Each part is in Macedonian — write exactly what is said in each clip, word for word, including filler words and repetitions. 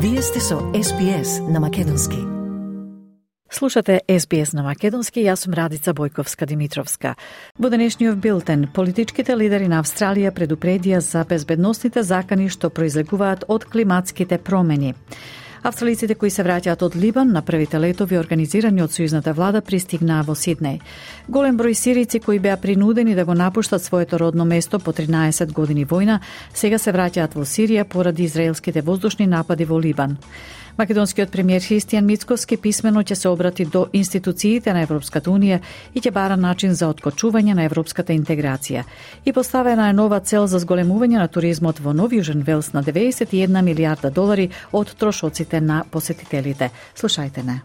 Вие сте со Ес Би Ес на Македонски. Слушате Ес Би Ес на Македонски, јас сум Радица Бојковска-Димитровска. Во денешниот билтен, политичките лидери на Австралија предупредија за безбедносните закани што произлегуваат од климатските промени. Австралиците кои се враќаат од Либан на првите летови организирани од сојузната влада пристигнаа во Сиднеј. Голем број сирици кои беа принудени да го напуштат своето родно место по тринаесет години војна, сега се враќаат во Сирија поради израелските воздушни напади во Либан. Македонскиот премиер Христијан Мицкоски писмено ќе се обрати до институциите на Европската унија и ќе бара начин за откочување на европската интеграција. И поставена е нова цел за зголемување на туризмот во Нов Јужен Велс на деветдесет и една милијарда долари од трошоците на посетителите. Слушајте не.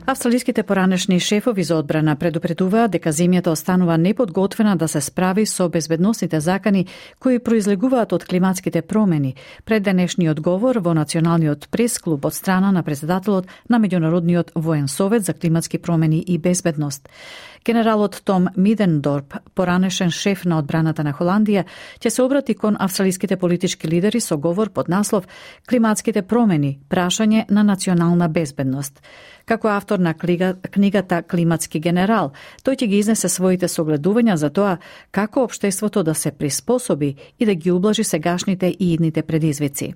Австралиските поранешни шефови за одбрана предупредуваа дека земјата останува неподготвена да се справи со безбедносните закани кои произлегуваат од климатските промени пред денешниот говор во Националниот прес-клуб од страна на председателот на Меѓународниот воен совет за климатски промени и безбедност. Генералот Том Мидендорп, поранешен шеф на одбраната на Холандија, ќе се обрати кон австралиските политички лидери со говор под наслов "Климатските промени, прашање на национална безбедност". Како автор на книга, книгата "Климатски генерал", тој ќе ги изнесе своите согледувања за тоа како општеството да се приспособи и да ги ублажи сегашните и идните предизвици.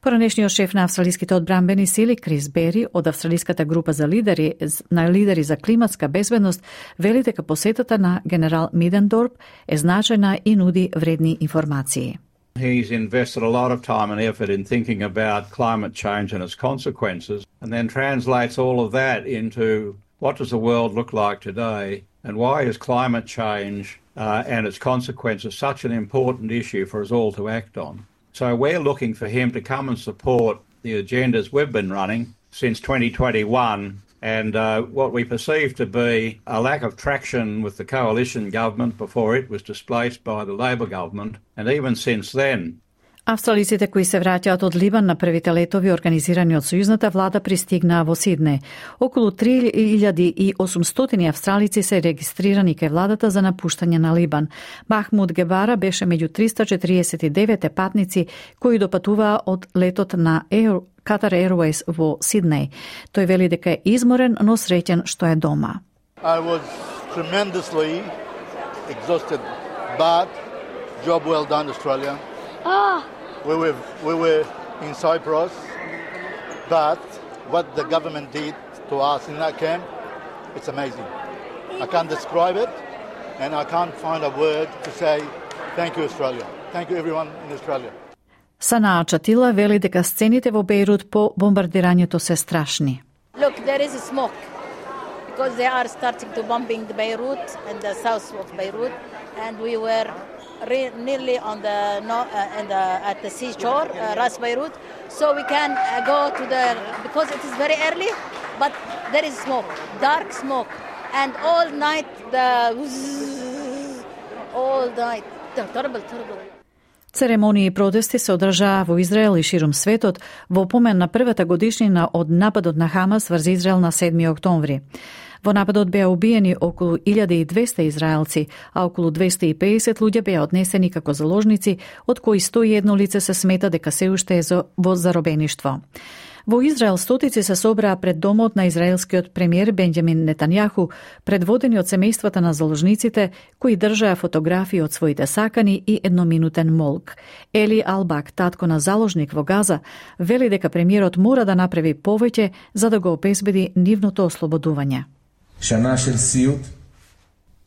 Поранешниот шеф на австралиските одбранбени сили Крис Бери од австралиската група за лидери на лидери за климатска безбедност вели дека посетата на генерал Мидендорп е значајна и нуди вредни информации. He's invested a lot of time and effort in thinking about climate change and its consequences, and then translates all of that into what does the world look like today, and why is climate change uh, and its consequences such an important issue for us all to act on. So we're looking for him to come and support the agendas we've been running since twenty twenty-one, and uh, what we perceive to be a lack of traction with the coalition government before it was displaced by the Labor government, and even since then. Австралиците кои се враќаат од Либан на првите летови организирани од сојузната влада пристигнаа во Сиднеј. Околу три илјади и осумстотини австралици се регистрирани кај владата за напуштање на Либан. Махмуд Гебара беше меѓу триста четириесет и девет патници кои допатуваа од летот на Air, Qatar Airways во Сиднеј. Тој вели дека е изморен, но среќен што е дома. I was tremendously exhausted, but job well done, Australia. Ah. We were, we were in Cyprus, but what the government did to us in that camp, it's amazing. I can't describe it, and I can't find a word to say thank you, Australia. Thank you, everyone in Australia. Санаа Чатила вели дека сцените во Бејрут по бомбардирањето се страшни. Look, there is smoke because they are starting to bombing the Beirut and the south of Beirut, and we were Re- nearly on the no, uh, and the, at the seashore, uh, Ras Beirut, so we can uh, go to the because it is very early, but there is smoke, dark smoke, and all night the all night, terrible, terrible. Церемонии и протести се одржаа во Израел и ширум светот во помен на првата годишнина од нападот на Хамас врз Израел на седми октомври. Во нападот беа убиени околу илјада и двесте израелци, а околу двесте и педесет луѓе беа однесени како заложници, од кои сто и едно лице се смета дека се уште е во заробеништво. Во Израел стотици се собраа пред домот на израелскиот премиер Бенџамин Нетањаху, предводени од семејствата на заложниците, кои држаа фотографии од своите сакани и едноминутен молк. Ели Албак, татко на заложник во Газа, вели дека премиерот мора да направи повеќе за да го обезбеди нивното ослободување.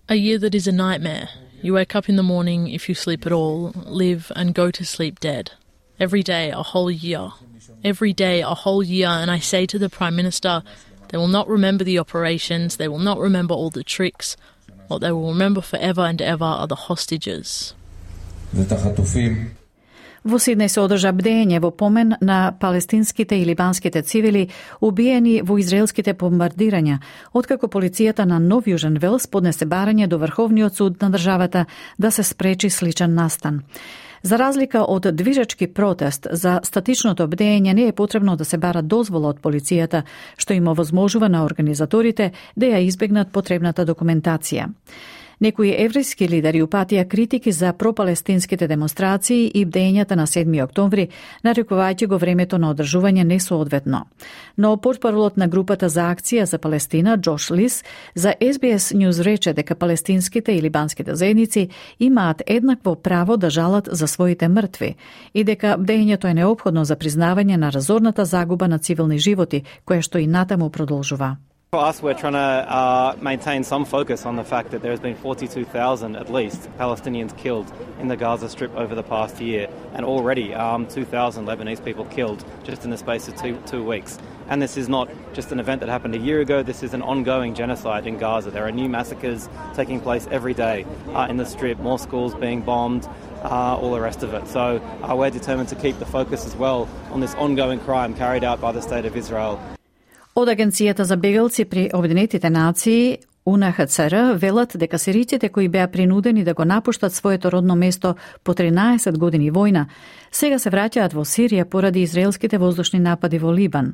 A year that is a nightmare. You wake up in the morning, if you sleep at all, live and go to sleep dead. Every day, a whole year. Every day, a whole year, and I say to the Prime Minister, they will not remember the operations, they will not remember all the tricks. What they will remember forever and ever are the hostages. Во Сиднеј се одржа бдење во помен на палестинските и либанските цивили убиени во израелските бомбардирања, откако полицијата на Нов Јужен Велс поднесе барање до Врховниот суд на државата да се спречи сличен настан. За разлика од движечки протест, за статичното бдење не е потребно да се бара дозвола од полицијата, што им овозможува на организаторите да ја избегнат потребната документација. Некои еврејски лидери упатија критики за пропалестинските демонстрации и бдењата на седми октомври, нарекувајќи го времето на одржување несоодветно. Но портпаролот на групата за акција за Палестина, Джош Лис, за Ес Би Ес News рече дека палестинските и либанските заедници имаат еднакво право да жалат за своите мртви и дека бдењето е неопходно за признавање на разорната загуба на цивилни животи, која што и натаму продолжува. For us, we're trying to uh, maintain some focus on the fact that there has been forty-two thousand, at least, Palestinians killed in the Gaza Strip over the past year, and already um, two thousand Lebanese people killed just in the space of two, two weeks. And this is not just an event that happened a year ago, this is an ongoing genocide in Gaza. There are new massacres taking place every day uh, in the Strip, more schools being bombed, uh, all the rest of it. So uh, we're determined to keep the focus as well on this ongoing crime carried out by the State of Israel. Од Агенцијата за бегалци при Обединетите нации У Ен Ха Це Ер велат дека сириците кои беа принудени да го напуштат своето родно место по тринаесет години војна, сега се враќаат во Сирија поради израелските воздушни напади во Либан.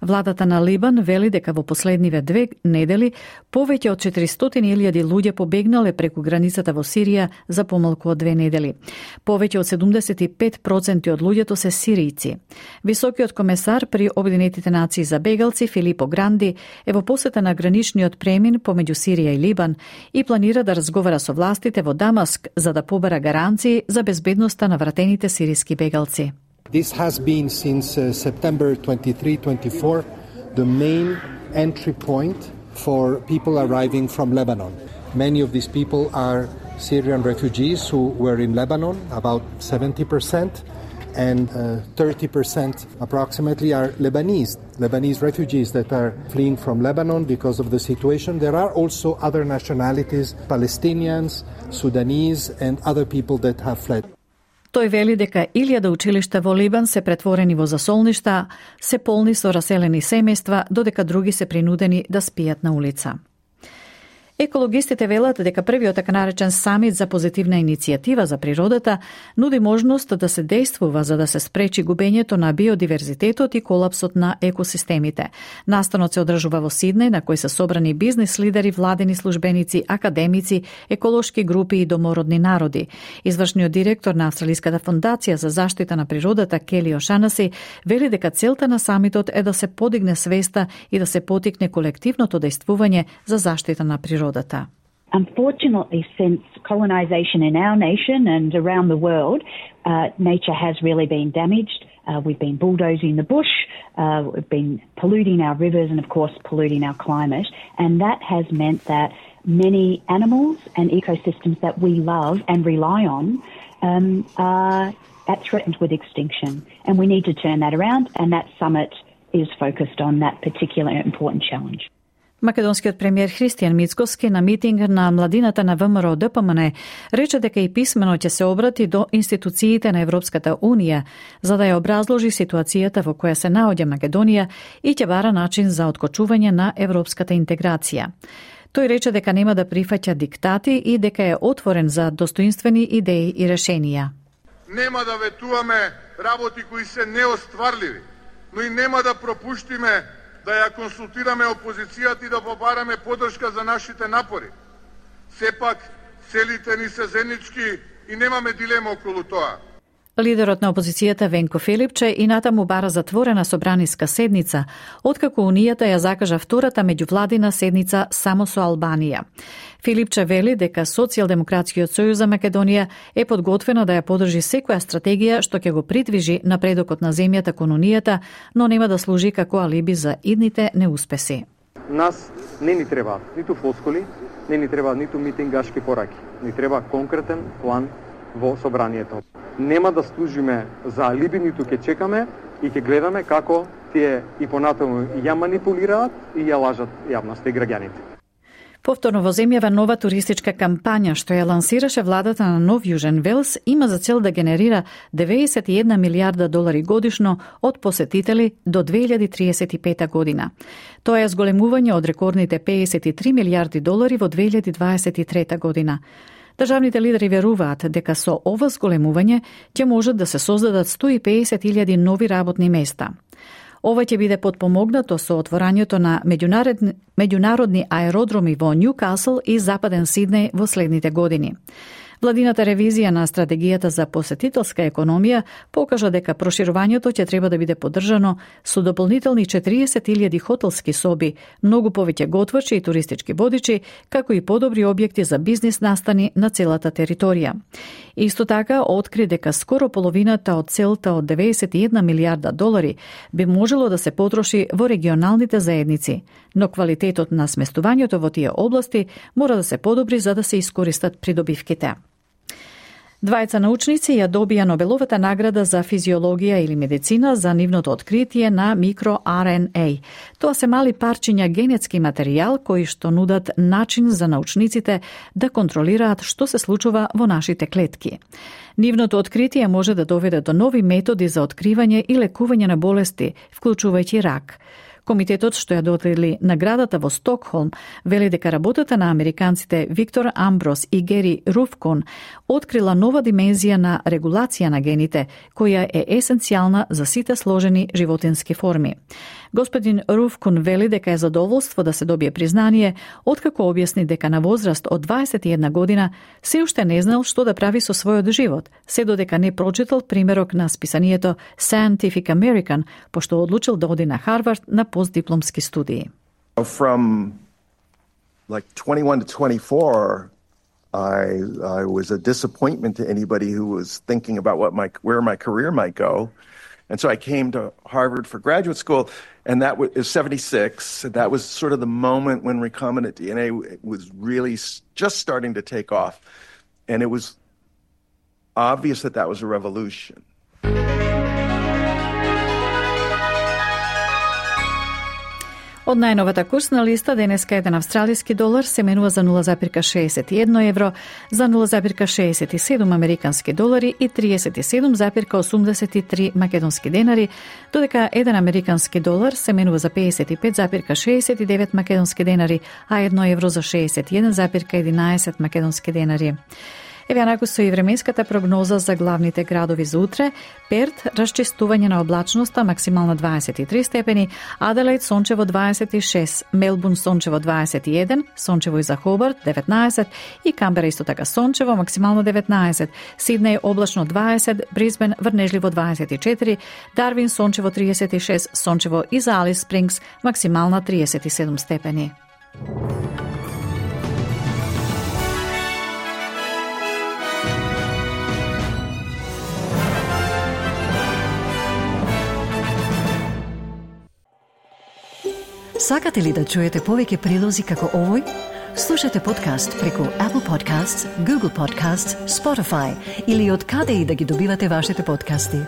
Владата на Либан вели дека во последниве две недели повеќе од четиристотини илјади луѓе побегнале преку границата во Сирија за помалку од две недели. Повеќе од седумдесет и пет проценти од луѓето се сиријци. Високиот комесар при Обединетите нации за бегалци Филипо Гранди е во посета на граничниот премин помеѓу Сирија и Либан и планира да разговара со властите во Дамаск за да побара гаранции за безбедноста на вратените сиријски бегалци. This has been since uh, September twenty-third, twenty-fourth, the main entry point for people arriving from Lebanon. Many of these people are Syrian refugees who were in Lebanon, about seventy percent, and uh, thirty percent approximately are Lebanese, Lebanese refugees that are fleeing from Lebanon because of the situation. There are also other nationalities, Palestinians, Sudanese, and other people that have fled. Тој вели дека илјада училишта во Либан се претворени во засолништа, се полни со раселени семејства, додека други се принудени да спијат на улица. Екологистите велат дека првиот така наречен самит за позитивна иницијатива за природата нуди можност да се действува за да се спречи губењето на биодиверзитетот и колапсот на екосистемите. Настанот се одржува во Сиднеј, на кој се собрани бизнис лидери, владени службеници, академици, еколошки групи и домородни народи. Извршниот директор на Австралиската фондација за заштита на природата Кели Ошанаси вели дека целта на самитот е да се подигне свеста и да се потикне колективното дејствување за заштита на природата. Unfortunately, since colonisation in our nation and around the world, uh, nature has really been damaged. Uh, we've been bulldozing the bush, uh, we've been polluting our rivers and, of course, polluting our climate. And that has meant that many animals and ecosystems that we love and rely on um, are at threatened with extinction. And we need to turn that around, and that summit is focused on that particular important challenge. Македонскиот премиер Христијан Мицкоски на митинг на младината на Вэ Ем Ер О Д П М Н рече дека и писмено ќе се обрати до институциите на Европската Унија за да ја образложи ситуацијата во која се наоѓа Македонија и ќе бара начин за откочување на европската интеграција. Тој рече дека нема да прифаќа диктати и дека е отворен за достоинствени идеи и решенија. Нема да ветуваме работи кои се неостварливи, но и нема да пропуштиме да ја консултираме опозицијата и да побараме поддршка за нашите напори. Сепак, целите ни се заеднички и немаме дилема околу тоа. Лидерот на опозицијата Венко Филипче и натаму бара затворена собраниска седница, откако Унијата ја закажа втората меѓувладина седница само со Албанија. Филипче вели дека Социјалдемократскиот сојуз за Македонија е подготвена да ја подржи секоја стратегија што ќе го придвижи напредокот на земјата кон Унијата, но нема да служи како алиби за идните неуспеси. Нас не ни треба ниту флоскули, не ни треба ниту митингашки пораки. Ни треба конкретен план во собранието. Нема да служиме за алиби, ниту ќе чекаме и ќе гледаме како тие и понатаму ја манипулираат и ја лажат јавноста и граѓаните. Повторно во земјава нова туристичка кампања што ја лансираше владата на Нов Јужен Велс има за цел да генерира деветдесет и една милијарда долари годишно од посетители до две илјади триесет и пета година. Тоа е зголемување од рекордните педесет и три милијарди долари во две илјади дваесет и трета година. Државните лидери веруваат дека со ова зголемување ќе можат да се создадат сто и педесет илјади нови работни места. Ова ќе биде потпомогнато со отворањето на меѓународни, меѓународни аеродроми во Нјукасл и Западен Сиднеј во следните години. Владината ревизија на стратегијата за посетителска економија покажа дека проширувањето ќе треба да биде поддржано со дополнителни четириесет илјади хотелски соби, многу повеќе готвачи и туристички водичи, како и подобри објекти за бизнис настани на целата територија. Исто така, откри дека скоро половината од целта од деветдесет и една милијарда долари би можело да се потроши во регионалните заедници, но квалитетот на сместувањето во тие области мора да се подобри за да се искористат придобивките. Двајца научници ја добија Нобеловата награда за физиологија или медицина за нивното откритие на микро-Ар Ен Ей. Тоа се мали парчиња генетски материјал кои што нудат начин за научниците да контролираат што се случува во нашите клетки. Нивното откритие може да доведе до нови методи за откривање и лекување на болести, вклучувајќи рак. Комитетот што ја додели наградата во Стокхолм вели дека работата на американците Виктор Амброс и Гери Руфкон открила нова димензија на регулација на гените, која е есенцијална за сите сложени животински форми. Господин Руфкон вели дека е задоволство да се добие признание, откако објасни дека на возраст од дваесет и една година се уште не знал што да прави со својот живот, се додека не прочитал примерок на списанието Scientific American, пошто одлучил да оди на Харвард на постдипломски студии. From like twenty-one to twenty-four, I I was a disappointment to anybody who was thinking about what my where my career might go. And so I came to Harvard for graduate school, and that was seventy-six. And that was sort of the moment when recombinant D N A was really just starting to take off. And it was obvious that that was a revolution. Од најновата курсна листа денеска еден австралиски долар се менува за нула запирка шеесет и едно евро, за нула запирка шеесет и седум американски долари и триесет и седум запирка осумдесет и три македонски денари, додека еден американски долар се менува за пеесет и пет запирка шеесет и девет македонски денари, а едно евро за шеесет и еден запирка единаесет македонски денари. Еве анаку со и временската прогноза за главните градови за утре. Перт, расчистување на облачноста, максимално дваесет и три степени, Аделаид сончево дваесет и шест, Мелбурн сончево дваесет и еден, сончево и за Хобарт деветнаесет и Камбера исто така сончево, максимално деветнаесет, Сиднеј облачно дваесет, Брисбен врнежливо дваесет и четири, Дарвин сончево триесет и шест, сончево и за Алис Спрингс, максимална триесет и седум степени. Сакате ли да чуете повеќе прилози како овој? Слушате подкаст преку Apple Podcasts, Google Podcasts, Spotify или од каде и да ги добивате вашите подкасти.